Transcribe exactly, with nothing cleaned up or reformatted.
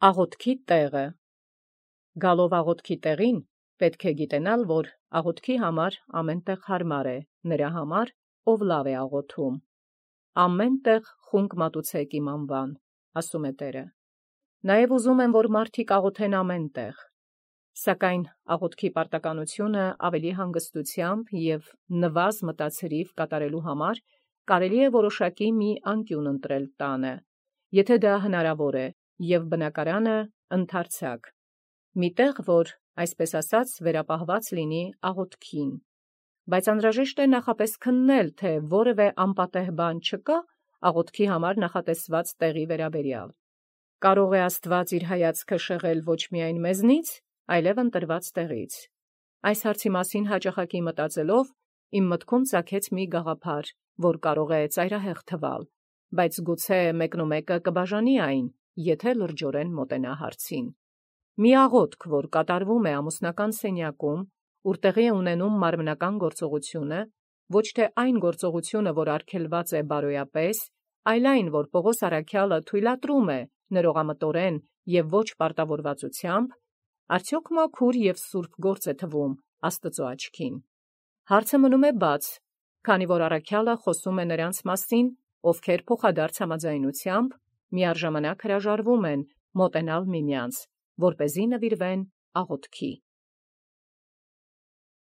Աղոթքի տեղը Գալով աղոթքի տեղին պետք է գիտենալ, որ աղոթքի համար ամեն տեղ հարմար է, նրա համար, ով լավ է աղոթում։ Ամեն տեղ խունկ մատուցեք իմ անվան, ասում է Տերը։ Նաև ուզում եմ, որ մարդիկ աղոթեն ամեն տեղ, սակայն աղոթքի պարտականությունը ավելի հանգստությամբ և նվազ մտածրիվ կատարելու համար կարելի է որոշակի մի անկյուն ընտրել տանը, եթե դա հնարավոր է, և բնակարանը ընդարձակ, մի տեղ, որ, այսպես ասած, վերապահված լինի աղոթքին, բայց անհրաժեշտ է նախապես քննել, թե որևէ անպատեհ բան չկա աղոթքի համար նախատեսված տեղի վերաբերյալ։ Կարող է Աստված իր հայացքը շեղել ոչ միայն մեզնից, այլև ընտրված տեղից։ Այս հարցի մասին հաճախակի մտածելով, իմ մտքում ծագեց մի գաղափար, որ կարող է ծայրահեղ թվալ, բայց գուցե մեկնումեկը կբաժանի այն, եթե լրջորեն մոտենա հարցին։ Մի աղոթք, որ կատարվում է ամուսնական սենյակում, ուր տեղի է ունենում մարմնական գործողությունը, ոչ թե այն գործողությունը, որ արգելված է բարոյապես, այլ այն, որ Պողոս առաքյալը թույլատրում է ներողամտորեն և ոչ պարտավորվածությամբ, արդյոք մաքուր և սուրբ գործ է թվում Աստծո աչքին։ Հարցը մնում է բաց, քանի որ առաքյալը խոսում է նրանց մասին, ովքեր փոխադարձ համաձայնությամբ միառժամանակ հրաժարվում են մոտենալ միմյանց, որպեսզի նվիրվեն աղոթքի։